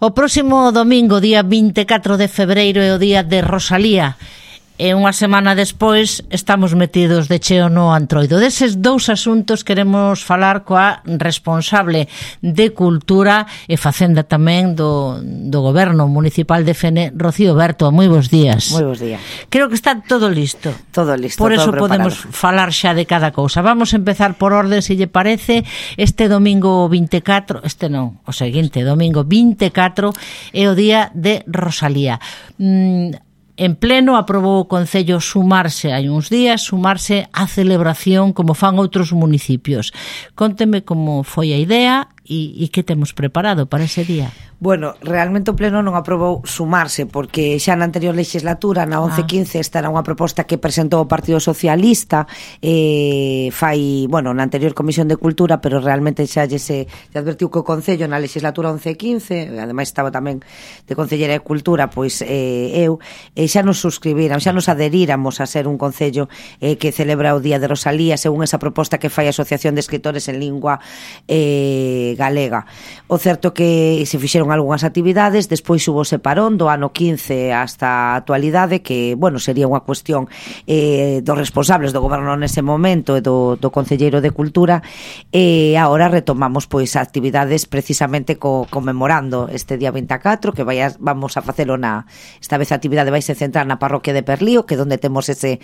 O próximo domingo, día 24 de febreiro, é o día de Rosalía. E unha semana despois estamos metidos de cheo no Antroido. Deses dous asuntos queremos falar coa responsable de Cultura e Facenda tamén do Goberno Municipal de Fene, Rocío Berto. Moi bons días. Moi bons días. Creo que está todo listo. Todo listo. Por eso todo podemos falar xa de cada cousa. Vamos a empezar por orde, se lle parece. Este domingo 24, o seguinte, domingo 24, é o día de Rosalía. En pleno aprobou o Concello sumarse hai uns días, sumarse á celebración como fan outros municipios. Conteme como foi a idea e que temos preparado para ese día. Bueno, realmente o Pleno non aprobou sumarse porque xa na anterior legislatura, na 11-15, esta era unha proposta que presentou o Partido Socialista na anterior Comisión de Cultura, pero realmente xa se advertiu que o Concello na legislatura 11-15, ademais estaba tamén de Concellera de Cultura, pois eu, xa nos suscribiran, xa nos aderíramos a ser un Concello que celebra o Día de Rosalía según esa proposta que fai a Asociación de Escritores en Lingua Galega. O certo que se fixeron algunhas actividades, despois hubo separón do ano 15 hasta a actualidade, que, sería unha cuestión dos responsables do goberno nese momento e do Concelleiro de Cultura, e agora retomamos pois actividades precisamente conmemorando este día 24, que vamos a facelo esta vez a actividade vai se centrar na parroquia de Perlío, que é onde temos ese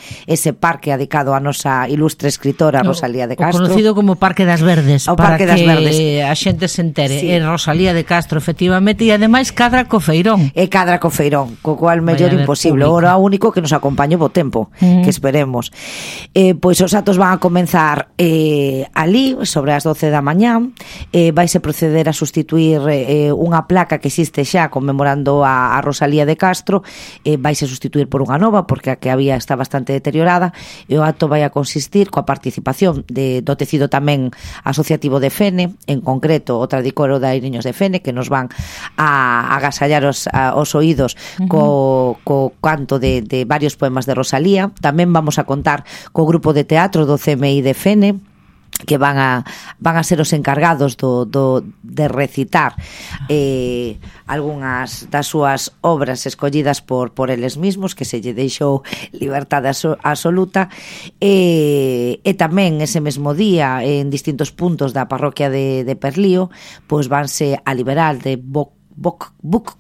parque dedicado a nosa ilustre escritora Rosalía de Castro. O conocido como Parque das Verdes, o Parque das Verdes. A xente se entere. Sí. É Rosalía de Castro, efectivamente, e ademais cadra co feirón. E cadra co feirón, co cual mellor imposible. Ora único que nos acompañe bo tempo, que esperemos. Pois os actos van a comenzar ali, sobre as 12 da mañán. Vaise proceder a sustituir unha placa que existe xa conmemorando a Rosalía de Castro. Vaise sustituir por unha nova, porque a que había está bastante deteriorada. E o acto vai a consistir coa participación do tecido tamén asociativo de Fene, en concreto o Tradicoro de Airiños de Fene, que nos van a agasallar os oídos co canto de varios poemas de Rosalía. Tamén vamos a contar co grupo de teatro do CMI de Fene, que van a ser os encargados de recitar algunhas das súas obras escollidas por eles mismos, que se lle deixou liberdade absoluta, e tamén ese mesmo día en distintos puntos da parroquia de Perlío pois vanse a liberar de book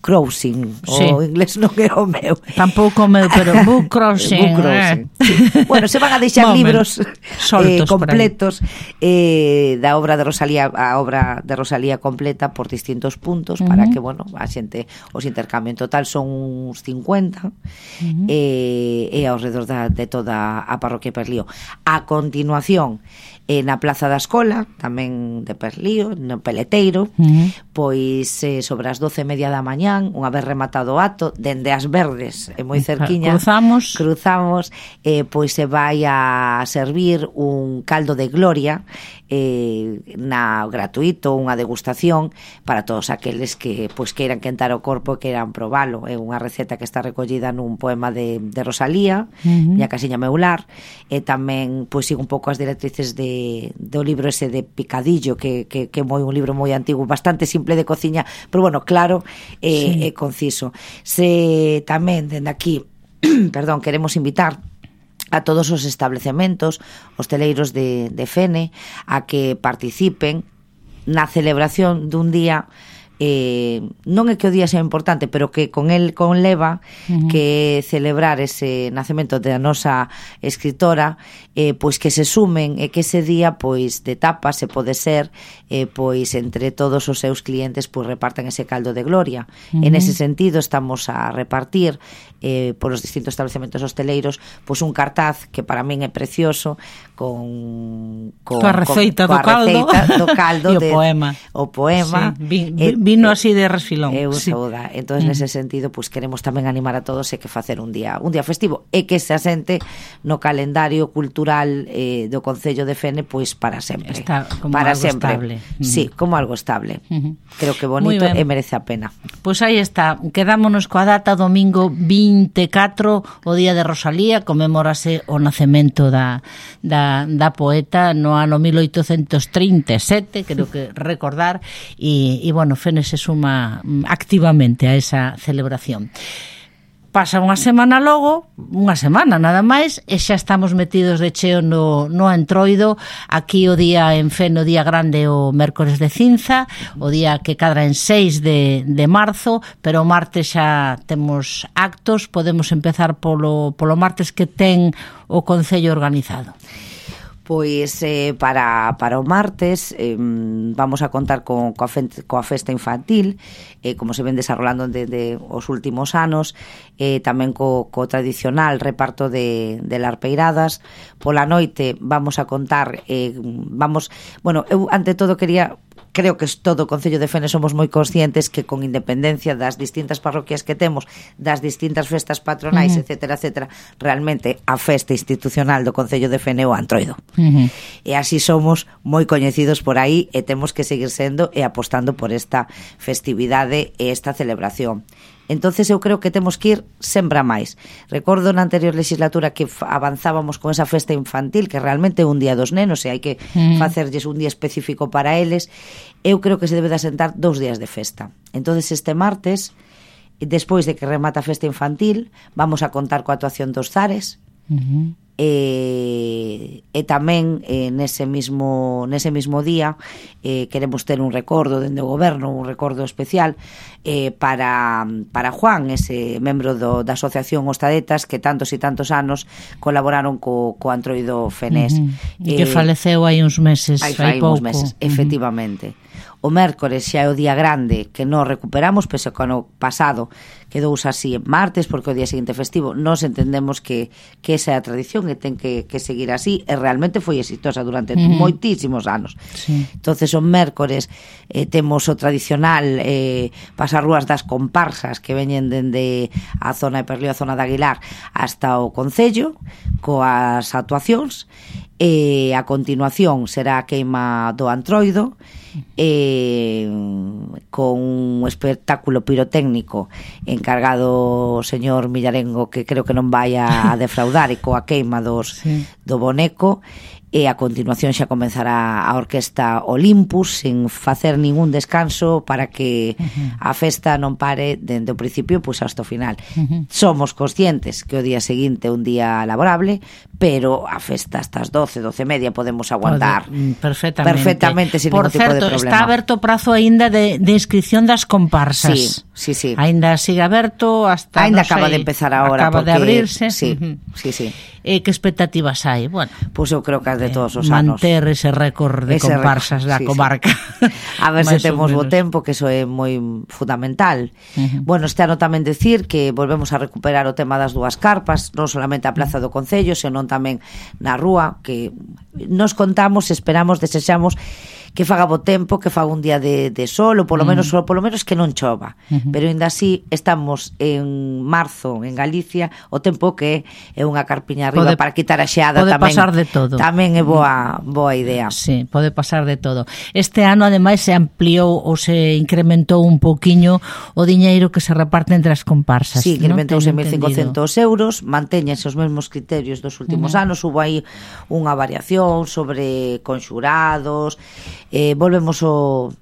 crossing, sí. O inglés non é o meu. Tampouco o meu, pero book crossing. Bueno, se van a deixar libros completos da obra de Rosalía, a obra de Rosalía completa por distintos puntos, para que, a xente os intercambien. En total son uns 50 e ao redor de toda a parroquia de Perlío. A continuación, na Plaza da Escola, tamén de Perlío, no Peleteiro, pois sobre as 12:30 da mañán, unha vez rematado o acto, dende as Verdes, moi cerquiña, cruzamos, pois se vai a servir un caldo de gloria gratuito, unha degustación para todos aqueles que queiran quentar o corpo e queiran probalo. É unha receta que está recollida nun poema de Rosalía, Miña casiña meu lar, e tamén sigo un pouco as directrices do libro ese de Picadillo, que é un libro moi antigo, bastante simple de cociña, pero claro, é conciso. Se tamén dende aquí queremos invitar a todos os establecementos hosteleiros de Fene a que participen na celebración dun día, non é que o día sea importante, pero que conleva que celebrar ese nacemento da nosa escritora, pois que se sumen e que ese día de tapa se pode ser entre todos os seus clientes repartan ese caldo de gloria. En ese sentido estamos a repartir por os distintos estabelecementos hosteleiros un cartaz que para min é precioso coa receita do caldo e o poema. Vino así de resfilón. Entón, nese sentido, queremos tamén animar a todos e que facer un día festivo e que se asente no calendario cultural do Concello de Fene para sempre. Está como para algo sempre. Estable. Sí, como algo estable. Creo que bonito e merece a pena. Pois aí está. Quedámonos coa data domingo 24, o día de Rosalía, conmemórase o nacemento da poeta no ano 1837, creo que recordar, e Fene Fene se suma activamente a esa celebración. Pasa unha semana logo, unha semana nada máis, e xa estamos metidos de cheo no Entroido. Aquí o día en Fene, o día grande, o mércores de Cinza, o día que cadra en 6 de marzo, pero o martes xa temos actos. Podemos empezar polo martes, que ten o Concello organizado. Pois para o martes vamos a contar coa festa infantil, como se ven desarrollando desde os últimos anos, tamén co tradicional reparto de larpeiradas. Pola noite vamos a contar, eu ante todo creo que todo o Concello de Fene somos moi conscientes que, con independencia das distintas parroquias que temos, das distintas festas patronais, etcétera, etcétera, realmente a festa institucional do Concello de Fene é o Entroido. E así somos moi coñecidos por aí, e temos que seguir sendo e apostando por esta festividade e esta celebración. Entonces eu creo que temos que ir sempre a máis. Recordo na anterior legislatura que avanzábamos con esa festa infantil, que realmente é un día dos nenos e hai que facerlles un día específico para eles. Eu creo que se debe de asentar 2 días de festa. Entonces este martes, despois de que remata a festa infantil, vamos a contar coa actuación dos Zares, e tamén nese mismo día queremos ter un recordo dende o goberno, un recordo especial para Juan, ese membro da Asociación Ostadetas, que tantos e tantos anos colaboraron co Entroido fenés, que faleceu hai uns meses, hai pouco. Efectivamente. O mércores xa é o día grande, que non recuperamos, pese que ano pasado quedou así en martes, porque o día seguinte festivo. Nós entendemos que esa é a tradición e ten que seguir así, e realmente foi exitosa durante moitísimos anos. Sí. Entonces o mércores temos o tradicional pasar rúas das comparsas que veñen dende a zona de Perlío, a zona de Aguilar, hasta o Concello, coas actuacións, e a continuación será a queima do Entroido, con un espectáculo pirotécnico encargado o señor Millarengo, que creo que non vai a defraudar, e coa queima do boneco. E a continuación xa comenzará a Orquesta Olympus, sen facer ningún descanso, para que a festa non pare dende o principio pois hasta o final. Somos conscientes que o día seguinte é un día laborable, pero a festa hasta as 12:30 podemos aguantar perfectamente sin ningún tipo de problema. Por certo, está aberto o prazo aínda de inscripción das comparsas. Sí. Aínda sigue aberto hasta, aínda acaba de empezar agora, acaba de abrirse. Sí. Que expectativas hai? Bueno, pois eu creo que as de todos os anos. Manter ese récord de comparsas da comarca. A ver se temos bo tempo, que iso é moi fundamental. Bueno, este ano tamén decir que volvemos a recuperar o tema das 2 carpas, non solamente a Plaza do Concello, senón tamén na rúa, que nos contamos, esperamos, desexamos que faga bo tempo, que faga un día de sol, ou polo menos que non chova. Pero ainda así estamos en marzo en Galicia, o tempo que é unha carpiña arriba para quitar a xeada. Pode pasar de todo. Tamén é boa idea. Sí, pode pasar de todo. Este ano ademais se ampliou ou se incrementou un pouquiño o diñeiro que se reparte entre as comparsas. Sí, incrementouse en 1.500 euros, mantéñense os mesmos criterios dos últimos anos, hubo aí unha variación sobre conxurados. Volvemos o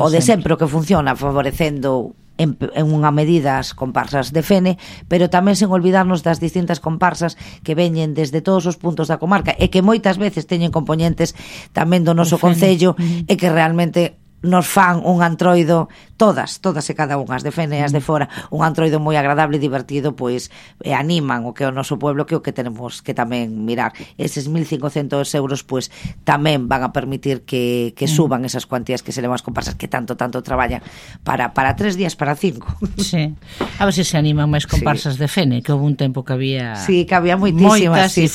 de sempre, o que funciona, favorecendo en unha medida as comparsas de Fene, pero tamén sen olvidarnos das distintas comparsas que veñen desde todos os puntos da comarca e que moitas veces teñen componentes tamén do noso concello e que realmente nos fan un Entroido, todas e cada unha, as de Fene e as de fora, un Entroido moi agradable e divertido, pois animan o que é o noso pueblo, que é o que tenemos que tamén mirar. Eses 1.500 euros pois tamén van a permitir que suban esas cuantías que se levan as comparsas, que tanto traballan para 3 días, para 5. Sí. A ver se animan máis comparsas de Fene, que houve un tempo que había... Sí, que había moitísimas. Moitas,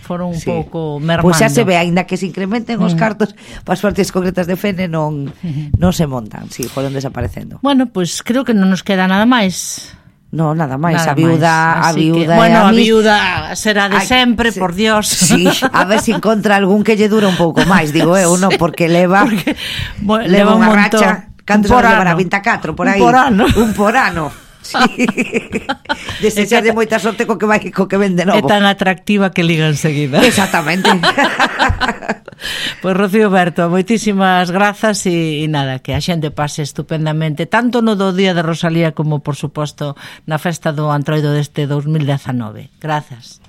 foron un pouco mermando. Pois xa se ve, aínda que se incrementen os cartos para as partes concretas de Fene, non se montan, sí, foron desaparecendo. Bueno, pois creo que non nos queda nada máis. No, nada máis, a viuda bueno, a viuda será de sempre, por Dios. Sí, a ver se encontra algún que lle dura un pouco máis, digo eu, non, porque leva unha racha, cantos anos levará, 24 por aí. Un por ano. Sí. Desechar de moita sorte co que vende novo. É tan atractiva que liga enseguida. Exactamente. Pois Rocío Berto, moitísimas grazas e nada, que a xente pase estupendamente tanto no do Día de Rosalía como, por suposto, na festa do Antroido deste 2019. Grazas.